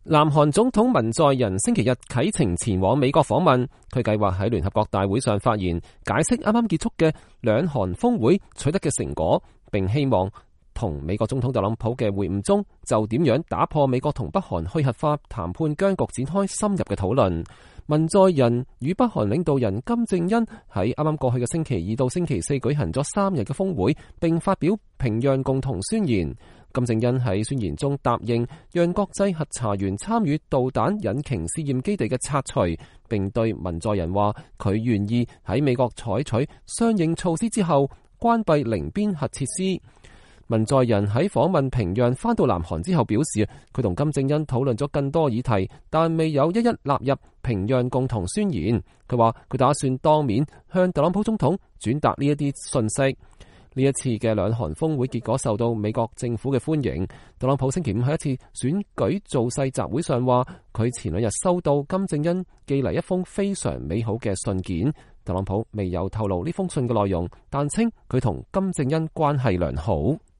南韓總統文在寅星期日啟程前往美國訪問，佢計劃喺聯合國大會上發言，解釋啱啱結束嘅兩韓峰會取得嘅成果，並希望同美國總統特朗普嘅會晤中就點樣打破美國同北韓去核化談判僵局展開深入嘅討論。文在寅與北韓領導人金正恩喺啱啱過去嘅星期二到星期四舉行咗3日嘅峰會，並發表平壤共同宣言。金正恩喺宣言中答應讓國際核查員參與導彈引擎試驗基地嘅拆除，並對文在寅話佢願意喺美國採取相應措施之後關閉寧邊核設施。文在寅喺訪問平壤返到南韓之後表示，佢同金正恩討論咗更多議題，但未有一一納入平壤共同宣言。佢話佢打算當面向特朗普總統轉達呢一啲信息。呢一次嘅兩韓峰會結果受到美國政府嘅歡迎。特朗普星期五喺一次選舉造勢集會上話，佢前2日收到金正恩寄嚟一封非常美好嘅信件。特朗普未有透露呢封信嘅內容，但稱佢同金正恩關係良好。